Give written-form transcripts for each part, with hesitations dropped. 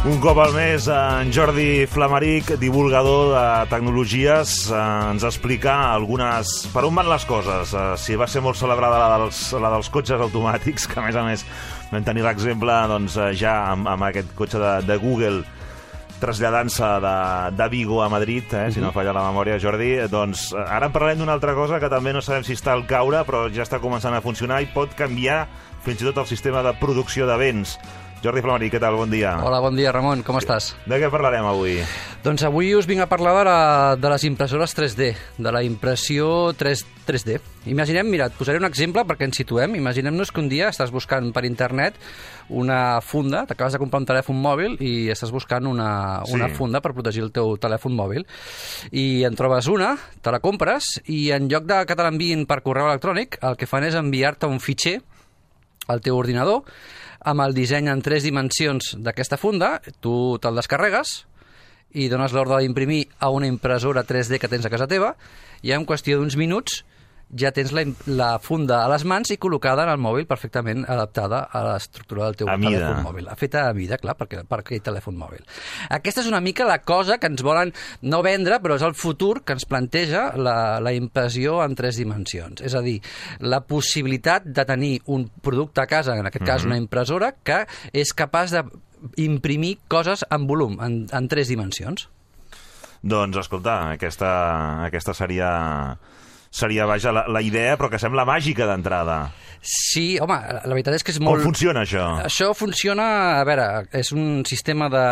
Un cop al mes, en Jordi Flamaric, divulgador de tecnologies, ens explica per on van les coses. Si va ser molt celebrada la dels cotxes automàtics, que a més vam tenir l'exemple ja amb aquest cotxe de Google traslladant-se de Vigo a Madrid, si no falla la memòria, Jordi. Doncs ara en parlarem d'una altra cosa que també no sabem si està al caure, però ja està començant a funcionar i pot canviar fins i tot el sistema de producció de béns. Jordi Flamaric, què tal? Bon dia. Hola, bon dia, Ramon. Com estàs? De què parlarem avui? Doncs avui us vinc a parlar de les impressores 3D, de la impressió 3D. Imaginem, mira, et posaré un exemple perquè ens situem. Imaginem-nos que un dia estàs buscant per internet una funda, t'acabes de comprar un telèfon mòbil i estàs buscant una funda per protegir el teu telèfon mòbil. I en trobes una, te la compres i en lloc de que te l'enviïn per correu electrònic, el que fan és enviar-te un fitxer al teu ordinador amb el disseny en 3 dimensions d'aquesta funda. Tu te'l descarregues i dones l'ordre d'imprimir a una impressora 3D que tens a casa teva i en qüestió d'uns minuts ja tens la funda a les mans i col·locada en el mòbil perfectament adaptada a l'estructura del teu telèfon mòbil. Feta a mida, clar, per aquell telèfon mòbil. Aquesta és una mica la cosa que ens volen no vendre, però és el futur que ens planteja la impressió en 3 dimensions. És a dir, la possibilitat de tenir un producte a casa, en aquest cas una impressora, que és capaç d'imprimir coses en volum, en 3 dimensions. Doncs, escolta, aquesta seria, vaja, la idea, però que sembla màgica d'entrada. Sí, home, la veritat és que és molt... Com funciona això? Això funciona, a veure, és un sistema de...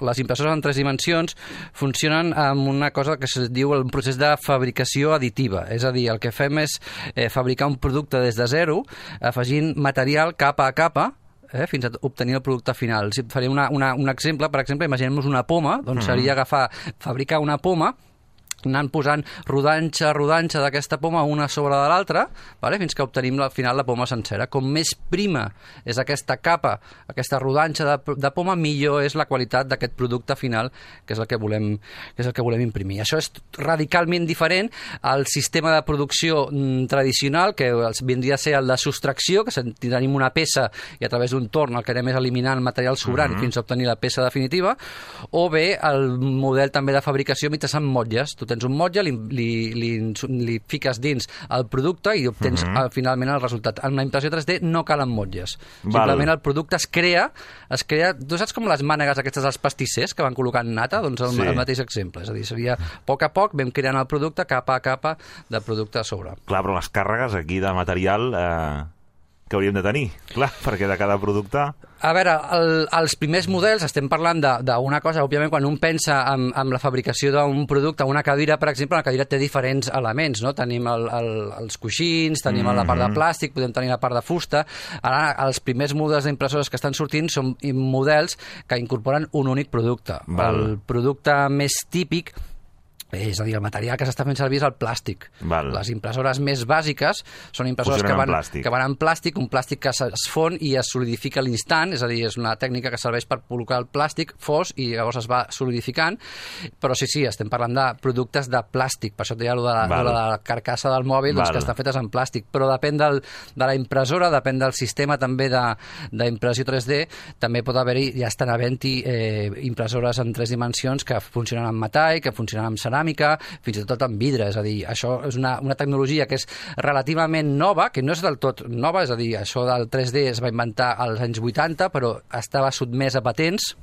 Les impressores en 3 dimensions funcionen amb una cosa que es diu un procés de fabricació additiva. És a dir, el que fem és fabricar un producte des de zero, afegint material capa a capa, fins a obtenir el producte final. Si et faré un exemple, per exemple, imaginem-nos una poma, doncs seria fabricar una poma, anant posant rodanxa d'aquesta poma una sobre de l'altra, fins que obtenim al final la poma sencera. Com més prima és aquesta capa, aquesta rodanxa de poma, millor és la qualitat d'aquest producte final, que és el que volem imprimir. Això és radicalment diferent al sistema de producció tradicional, que vindria a ser el de sostracció, que tenim una peça i a través d'un torn el que anem és eliminant material sobrant fins a obtenir la peça definitiva, o bé el model també de fabricació mitjançant motlles. Tu tens un motlle, li fiques dins el producte i obtens finalment el resultat. En la impressió 3D no calen motlles. Simplement el producte es crea... Tu saps com les mànegues aquestes dels pastissers que van col·locant nata? Doncs el mateix exemple. És a dir, seria a poc vam creant el producte capa a capa de producte a sobre. Clar, però les càrregues aquí de material que hauríem de tenir, clar, perquè de cada producte... A veure, els primers models, estem parlant d'una cosa, òbviament, quan un pensa en la fabricació d'un producte, una cadira, per exemple, la cadira té diferents elements, no? Tenim els coixins, tenim la part de plàstic, podem tenir la part de fusta. Ara, els primers models d'impressores que estan sortint són models que incorporen un únic producte. El producte més típic, és a dir, el material que s'està fent servir és el plàstic. Les impressores més bàsiques són impressores que van en plàstic, un plàstic que es fon i es solidifica a l'instant, és a dir, és una tècnica que serveix per col·locar el plàstic fos i llavors es va solidificant, però sí, estem parlant de productes de plàstic, per això et deia de la carcassa del mòbil, que estan fetes en plàstic, però depèn de la impressora, depèn del sistema també d'impressió 3D, també pot haver-hi, ja estan havent-hi impressores en 3 dimensions que funcionen amb metall, que funcionen amb ceràmica, fins i tot amb vidre. És a dir, això és una tecnologia que és relativament nova, que no és del tot nova, és a dir, això del 3D es va inventar als anys 80, però estava sotmès a patents.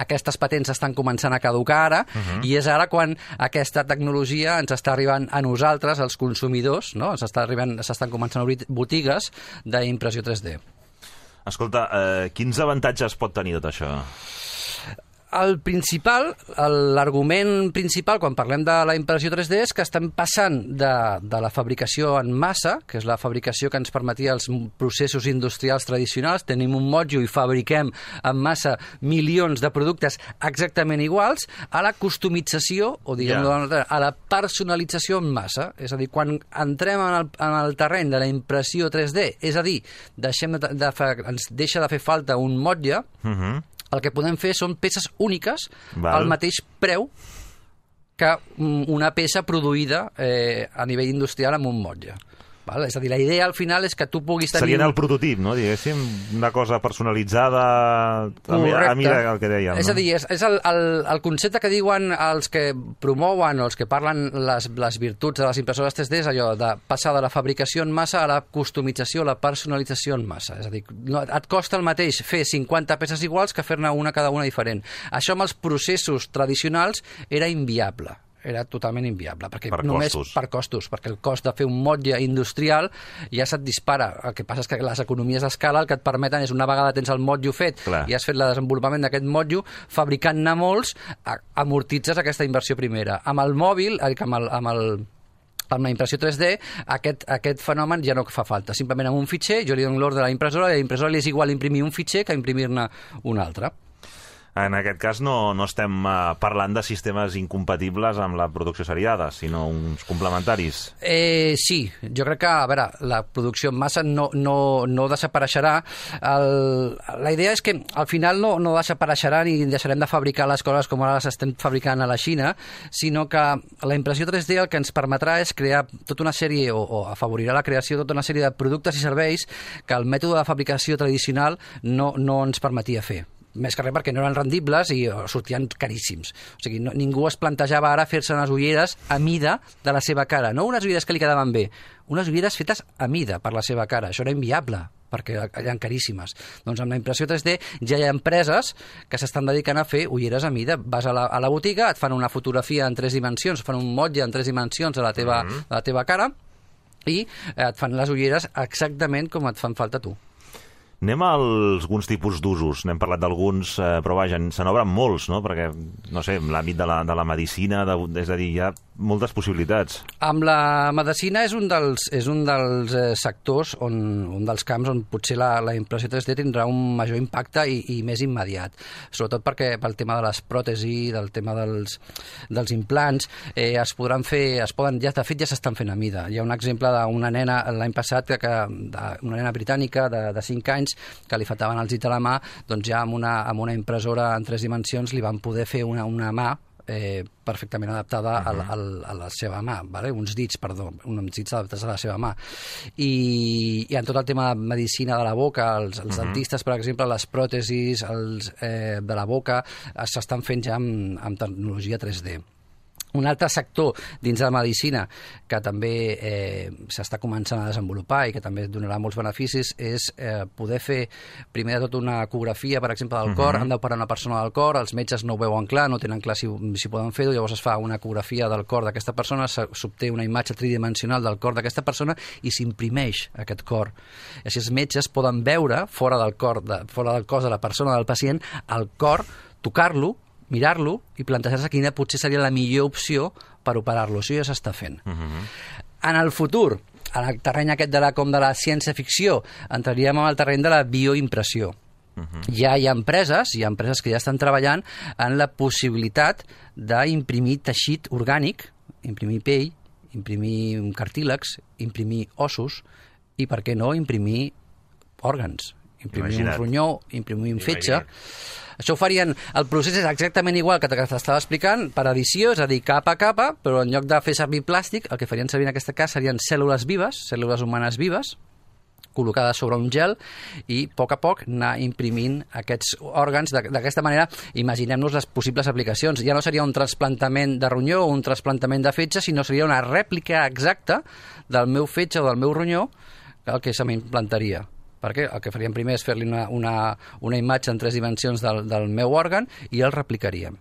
Aquestes patents estan començant a caducar ara i és ara quan aquesta tecnologia ens està arribant a nosaltres, als consumidors, no? S'estan començant a obrir botigues d'impressió 3D. Escolta, quins avantatges pot tenir tot això? L'argument principal quan parlem de la impressió 3D és que estem passant de la fabricació en massa, que és la fabricació que ens permetia els processos industrials tradicionals, tenim un motlle i fabriquem en massa milions de productes exactament iguals, a la customització, o diguem-ho a la personalització en massa. És a dir, quan entrem en el terreny de la impressió 3D, és a dir, ens deixa de fer falta un motlle, el que podem fer són peces úniques al mateix preu que una peça produïda a nivell industrial amb un motlle. Val? És a dir, la idea al final és que tu puguis tenir... Serien el prototip, no? Diguéssim, una cosa personalitzada... Correcte. A mida el que dèiem. És a dir, és el concepte que diuen els que promouen o els que parlen les virtuts de les impressores 3D, és allò de passar de la fabricació en massa a la customització, a la personalització en massa. És a dir, no, et costa el mateix fer 50 peces iguals que fer-ne una cada una diferent. Això amb els processos tradicionals era inviable. Era totalment inviable, perquè només per costos, perquè el cost de fer un motlle industrial ja se't dispara. El que passa és que les economies d'escala el que et permeten és, una vegada tens el motllo fet i has fet el desenvolupament d'aquest motllo, fabricant-ne molts, amortitzes aquesta inversió primera. Amb el mòbil, amb la impressió 3D, aquest fenomen ja no fa falta. Simplement amb un fitxer, jo li dono l'ordre a la impressora, i a la impressora li és igual imprimir un fitxer que imprimir-ne un altre. En aquest cas no estem parlant de sistemes incompatibles amb la producció seriada, sinó uns complementaris. Sí, jo crec que, a veure, la producció en massa no desapareixerà. La idea és que al final no desapareixerà ni deixarem de fabricar les coses com ara les estem fabricant a la Xina, sinó que la impressió 3D el que ens permetrà és crear tota una sèrie, o afavorirà la creació de tota una sèrie de productes i serveis que el mètode de fabricació tradicional no ens permetia fer. Més que res perquè no eren rendibles i sortien caríssims. O sigui, ningú es plantejava ara fer-se unes ulleres a mida de la seva cara. No unes ulleres que li quedaven bé, unes ulleres fetes a mida per la seva cara. Això era inviable, perquè eren caríssimes. Doncs amb la impressió 3D ja hi ha empreses que s'estan dedicant a fer ulleres a mida. Vas a la botiga, et fan una fotografia en 3 dimensions, fan un motlle en 3 dimensions de la teva cara i et fan les ulleres exactament com et fan falta a tu. Anem a alguns tipus d'usos. N'hem parlat d'alguns, però vaja, se n'obren molts, no? Perquè, no sé, l'àmbit de la medicina, és a dir, hi ha moltes possibilitats. Amb la medicina és un dels sectors, un dels camps on potser la impressió 3D tindrà un major impacte i més immediat. Sobretot perquè pel tema de les pròtesis, del tema dels implants, de fet ja s'estan fent a mida. Hi ha un exemple d'una nena l'any passat, una nena britànica de 5 anys, que li faltaven els dits a la mà, doncs ja amb una impressora en 3 dimensions li van poder fer una mà perfectament adaptada a la seva mà, vale? uns dits adaptats a la seva mà. I en tot el tema de medicina de la boca, els dentistes, per exemple, les pròtesis de la boca s'estan fent ja amb tecnologia 3D. Un altre sector dins de la medicina que també s'està començant a desenvolupar i que també donarà molts beneficis és poder fer primer de tot una ecografia, per exemple, del cor. Han d'operar una persona del cor, els metges no ho veuen clar, no tenen clar si poden fer-ho, llavors es fa una ecografia del cor d'aquesta persona, s'obté una imatge tridimensional del cor d'aquesta persona i s'imprimeix aquest cor. I així els metges poden veure fora del cos de la persona, del pacient, el cor, tocar-lo, mirar-lo i plantejar-se quina potser seria la millor opció per operar-lo. Això ja s'està fent. En el futur, en el terreny aquest de la ciència-ficció, entraríem en el terreny de la bioimpressió. Ja hi ha empreses que ja estan treballant en la possibilitat d'imprimir teixit orgànic, imprimir pell, imprimir cartílags, imprimir ossos i, per què no, imprimir òrgans. Imprimir un ronyó, imprimir un fetge. Això ho farien... El procés és exactament igual que t'estava explicant, per edició, és a dir, capa a capa, però en lloc de fer servir plàstic, el que farien servir en aquest cas serien cèl·lules vives, cèl·lules humanes vives, col·locades sobre un gel i a poc anar imprimint aquests òrgans. D'aquesta manera, imaginem-nos les possibles aplicacions. Ja no seria un trasplantament de ronyó o un trasplantament de fetge, sinó seria una rèplica exacta del meu fetge o del meu ronyó el que se m'implantaria. Perquè el que faríem primer és fer-li una imatge en 3 dimensions del meu òrgan i el replicaríem.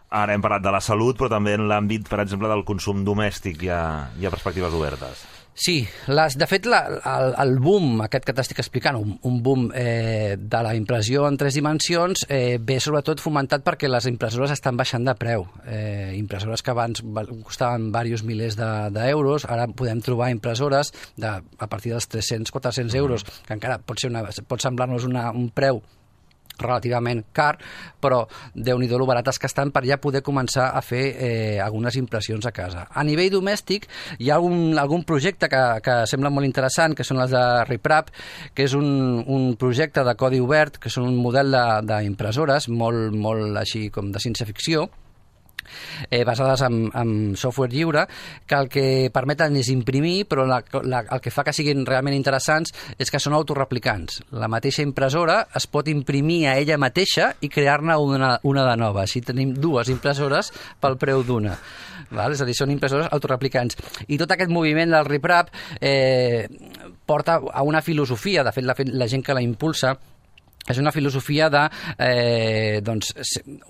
Ara hem parlat de la salut, però també en l'àmbit, per exemple, del consum domèstic hi ha perspectives obertes. Sí, de fet el boom aquest que t'estic explicant, un boom de la impressió en 3 dimensions, ve sobretot fomentat perquè les impressores estan baixant de preu. Impressores que abans costaven diversos milers d'euros, ara podem trobar impressores a partir dels 300-400 euros, que encara pot semblar-nos un preu relativament car, però déu-n'hi-do lo barates que estan per ja poder començar a fer algunes impressions a casa. A nivell domèstic hi ha algun projecte que sembla molt interessant, que són les de RepRap, que és un projecte de codi obert, que són un model d'impressores molt així com de ciència-ficció, basades en software lliure, que el que permeten és imprimir, però el que fa que siguin realment interessants és que són autoreplicants. La mateixa impressora es pot imprimir a ella mateixa i crear-ne una de nova. Així tenim dues impressores pel preu d'una. És a dir, són impressores autoreplicants. I tot aquest moviment del RipRap porta a una filosofia, de fet la gent que la impulsa, és una filosofia de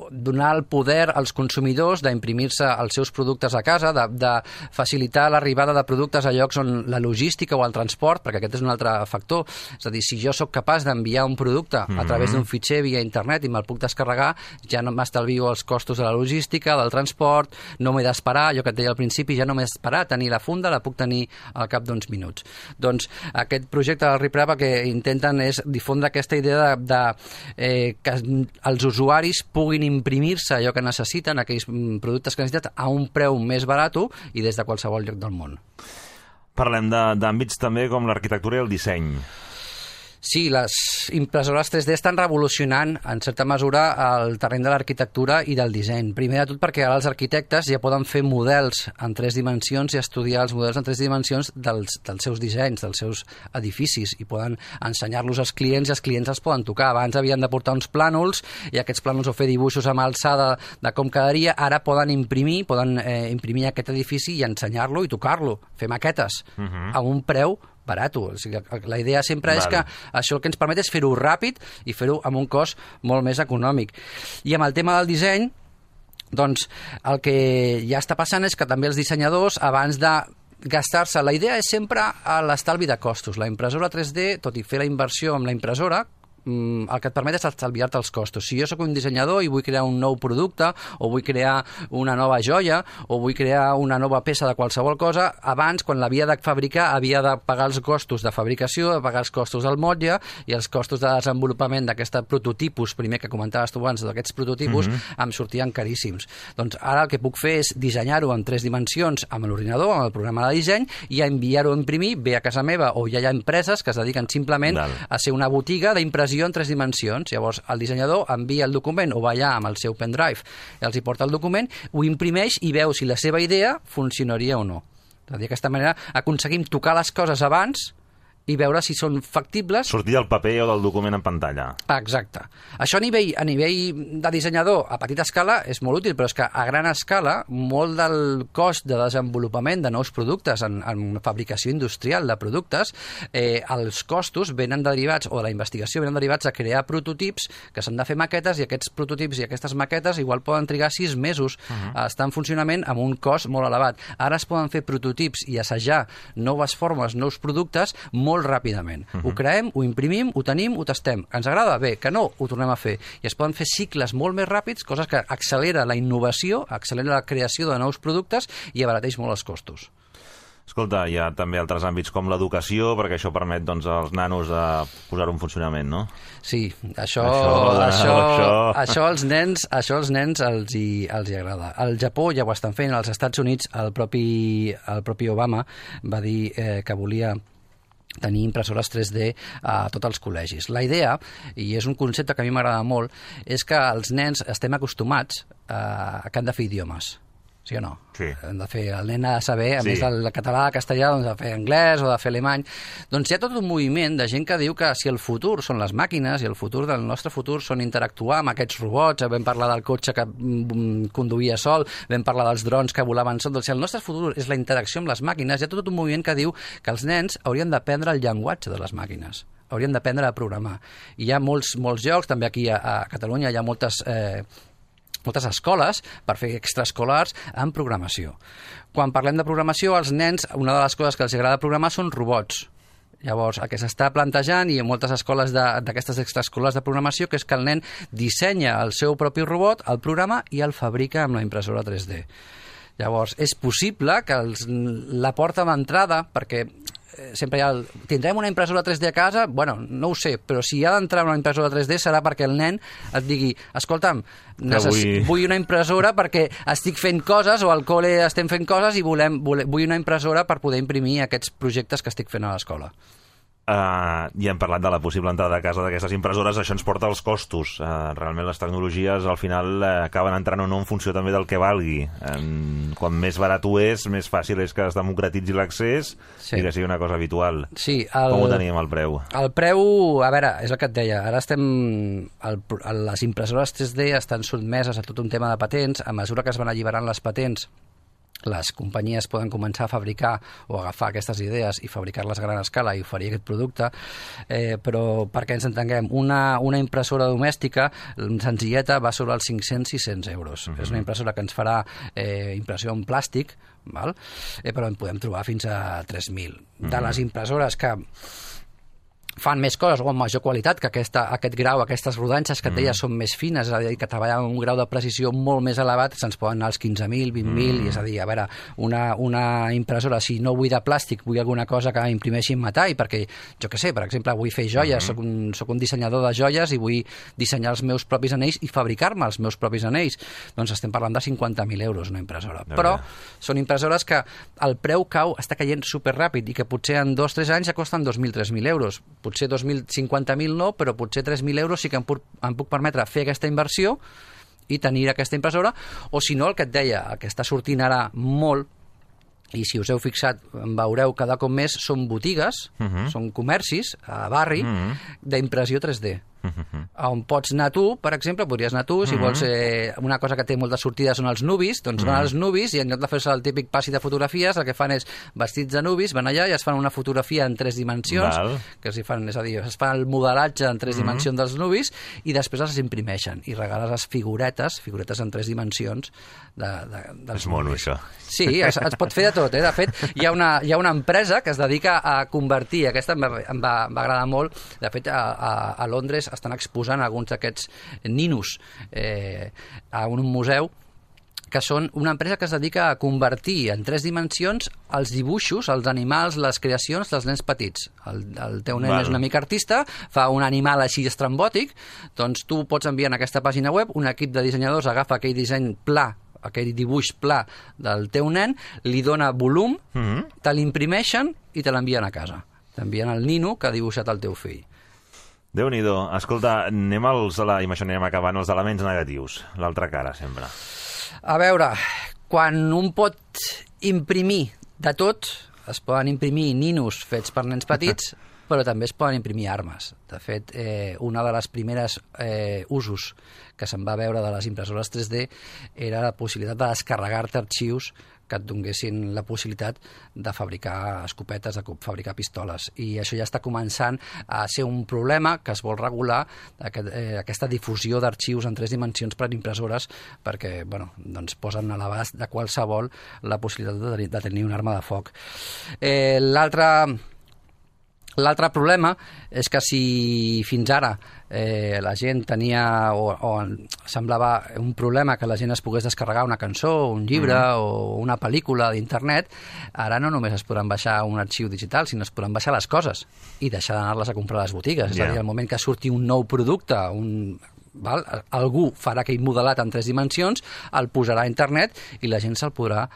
donar el poder als consumidors d'imprimir-se els seus productes a casa, de facilitar l'arribada de productes a llocs on la logística o el transport, perquè aquest és un altre factor. És a dir, si jo sóc capaç d'enviar un producte a través d'un fitxer via internet i me'l puc descarregar, ja no m'estalvio els costos de la logística, del transport, no m'he d'esperar, allò que et deia al principi, ja no m'he d'esperar a tenir la funda, la puc tenir al cap d'uns minuts. Doncs aquest projecte del RipRap el que intenten és difondre aquesta idea que els usuaris puguin imprimir-se allò que necessiten, aquells productes que necessiten, a un preu més barat i des de qualsevol lloc del món. Parlem d'àmbits també com l'arquitectura i el disseny. Sí, les impressores 3D estan revolucionant, en certa mesura, el terreny de l'arquitectura i del disseny. Primer de tot perquè ara els arquitectes ja poden fer models en 3 dimensions i estudiar els models en 3 dimensions dels seus dissenys, dels seus edificis, i poden ensenyar-los als clients i els clients els poden tocar. Abans havien de portar uns plànols i aquests plànols o fer dibuixos amb alçada de com quedaria. Ara poden imprimir aquest edifici i ensenyar-lo i tocar-lo, fer maquetes a un preu barat. O sigui, la idea sempre és que això el que ens permet és fer-ho ràpid i fer-ho amb un cost molt més econòmic. I amb el tema del disseny, doncs el que ja està passant és que també els dissenyadors, abans de gastar-se, la idea és sempre l'estalvi de costos. La impressora 3D, tot i fer la inversió amb la impressora, el que et permet és estalviar-te els costos. Si jo sóc un dissenyador i vull crear un nou producte, o vull crear una nova joia, o vull crear una nova peça de qualsevol cosa, abans, quan l'havia de fabricar, havia de pagar els costos de fabricació, de pagar els costos del motlle i els costos de desenvolupament d'aquest prototipus, primer que comentaves tu abans, d'aquests prototipus, em sortien caríssims. Doncs ara el que puc fer és dissenyar-ho en 3 dimensions amb l'ordinador, amb el programa de disseny, i enviar-ho a imprimir, bé a casa meva, o ja hi ha empreses que es dediquen simplement a ser una botiga d'impressió en 3 dimensions. Llavors el dissenyador envia el document o va allà amb el seu pendrive i els hi porta el document, ho imprimeix i veu si la seva idea funcionaria o no. D'aquesta manera aconseguim tocar les coses abans i veure si són factibles. Sortir del paper o del document en pantalla. Exacte. Això a nivell de dissenyador a petita escala és molt útil, però és que a gran escala molt del cost de desenvolupament de nous productes en fabricació industrial de productes, els costos venen derivats, o de la investigació venen derivats a crear prototips que s'han de fer maquetes, i aquests prototips i aquestes maquetes igual poden trigar 6 mesos a estar en funcionament amb un cost molt elevat. Ara es poden fer prototips i assajar noves formes, nous productes molt ràpidament. Ho creem, ho imprimim, ho tenim, ho testem. Ens agrada? Bé. Que no? Ho tornem a fer. I es poden fer cicles molt més ràpids, coses que accelera la innovació, accelera la creació de nous productes i abarateix molt els costos. Escolta, hi ha també altres àmbits com l'educació, perquè això permet als nanos posar-ho en funcionament, no? Sí, això als nens els hi agrada. Al Japó ja ho estan fent, als Estats Units el propi Obama va dir que volia tenir impressores 3D a tots els col·legis. La idea, i és un concepte que a mi m'agrada molt, és que els nens estem acostumats que han de fer idiomes. Sí o no? Sí. Hem de fer, el nen ha de saber, a més del català, el castellà, doncs, de fer anglès o de fer alemany. Doncs hi ha tot un moviment de gent que diu que si el futur són les màquines i el futur del nostre futur són interactuar amb aquests robots, vam parlar del cotxe que conduïa sol, vam parlar dels drons que volaven sol, doncs si el nostre futur és la interacció amb les màquines, hi ha tot un moviment que diu que els nens haurien d'aprendre el llenguatge de les màquines, haurien d'aprendre a programar. I hi ha molts jocs, també aquí a Catalunya hi ha moltes escoles per fer extraescolars en programació. Quan parlem de programació, als nens, una de les coses que els agrada programar són robots. Llavors, el que s'està plantejant, i en moltes escoles d'aquestes extraescolars de programació, que és que el nen dissenya el seu propi robot, el programa i el fabrica amb la impressora 3D. Llavors, és possible que la porta d'entrada, perquè sempre hi ha tindrem una impressora 3D a casa? Bueno, no ho sé, però si ha d'entrar una impressora 3D serà perquè el nen et digui, escolta'm, vull una impressora perquè estic fent coses, o al col·le estem fent coses i vull una impressora per poder imprimir aquests projectes que estic fent a l'escola. I hem parlat de la possible entrada a casa d'aquestes impressores. Això ens porta als costos. Realment les tecnologies al final acaben entrant o no en funció també del que valgui. Quan més barat ho és, més fàcil és que es democratitzi l'accés i que sigui una cosa habitual. Sí, com ho tenim, el preu? El preu, a veure, és el que et deia, ara les impressores 3D estan sotmeses a tot un tema de patents. A mesura que es van alliberant les patents, les companyies poden començar a fabricar o agafar aquestes idees i fabricar-les a gran escala i oferir aquest producte, però perquè ens entenguem, una impressora domèstica senzilleta va sobre els 500-600 euros. És una impressora que ens farà impressió en plàstic, val? Però en podem trobar fins a 3.000. De les impressores que fan més coses o amb major qualitat, que aquest grau, aquestes rodanxes que et deia són més fines, és a dir, que treballen amb un grau de precisió molt més elevat, se'ns poden anar als 15.000, 20.000, i és a dir, a veure, una impressora, si no vull de plàstic, vull alguna cosa que imprimeixi en metall, perquè, jo què sé, per exemple, vull fer joies, soc un dissenyador de joies i vull dissenyar els meus propis anells i fabricar-me els meus propis anells, doncs estem parlant de 50.000 euros una impressora. Però són impressores que el preu està caient superràpid i que potser en 2-3 anys ja costen 2.000-3.000 euros. Potser 2.050.000 no, però potser 3.000 euros sí que em puc permetre fer aquesta inversió i tenir aquesta impressora, o si no, el que et deia, el que està sortint ara molt, i si us heu fixat, veureu cada cop més, són botigues, són comercis a barri d'impressió 3D. On pots anar tu, per exemple, podries anar tu, si vols una cosa que té molta sortida són els nubis, doncs van als nubis i en lloc de fer-se el típic passi de fotografies, el que fan és vestits de nubis, van allà i es fan una fotografia en 3 dimensions, que es fan, és a dir, es fan el modelatge en 3 dimensions dels nubis i després els imprimeixen i regales les figuretes en 3 dimensions dels és mono, això. Sí, es pot fer de tot, De fet, hi ha una empresa que es dedica a convertir, aquesta em va agradar molt, de fet, a Londres estan exposant alguns d'aquests ninos a un museu, que són una empresa que es dedica a convertir en 3 dimensions els dibuixos, els animals, les creacions dels nens petits. El teu nen és una mica artista, fa un animal així estrambòtic, doncs tu pots enviar en aquesta pàgina web, un equip de dissenyadors agafa aquell disseny pla, aquell dibuix pla del teu nen, li dona volum, te l'imprimeixen i te l'envien a casa. T'envien el nino que ha dibuixat el teu fill. Déu-n'hi-do. Escolta, i amb això anem acabant, els elements negatius, l'altra cara, sempre. A veure, quan un pot imprimir de tot, es poden imprimir ninos fets per nens petits, però també es poden imprimir armes. De fet, una de les primeres usos que se'n va veure de les impressores 3D era la possibilitat de descarregar-te arxius que et donessin la possibilitat de fabricar escopetes, de fabricar pistoles. I això ja està començant a ser un problema que es vol regular, aquesta difusió d'arxius en 3 dimensions per impressores, perquè doncs posen a l'abast de qualsevol la possibilitat de tenir una arma de foc. L'altre problema és que si fins ara la gent tenia o semblava un problema que la gent es pogués descarregar una cançó, un llibre o una pel·lícula d'internet, ara no només es podran baixar un arxiu digital, sinó es podran baixar les coses i deixar d'anar-les a comprar a les botigues. És a dir, al moment que surti un nou producte, algú farà aquell modelat en 3 dimensions, el posarà a internet i la gent se'l podrà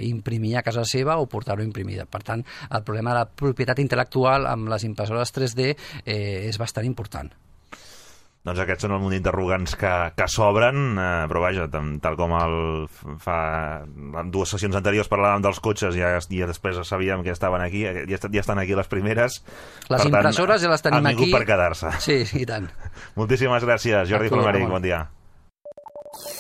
imprimir a casa seva o portar-ho imprimida. Per tant, el problema de la propietat intel·lectual amb les impressores 3D és bastant important. Doncs aquests són el munt d'interrogants que s'obren, però vaja, tal com en 2 sessions anteriors parlàvem dels cotxes i després sabíem que estaven aquí, ja estan aquí les primeres. Les impressores ja les tenim aquí. Han vingut per quedar-se. Sí, i tant. Moltíssimes gràcies, Jordi Flamaric, bon dia.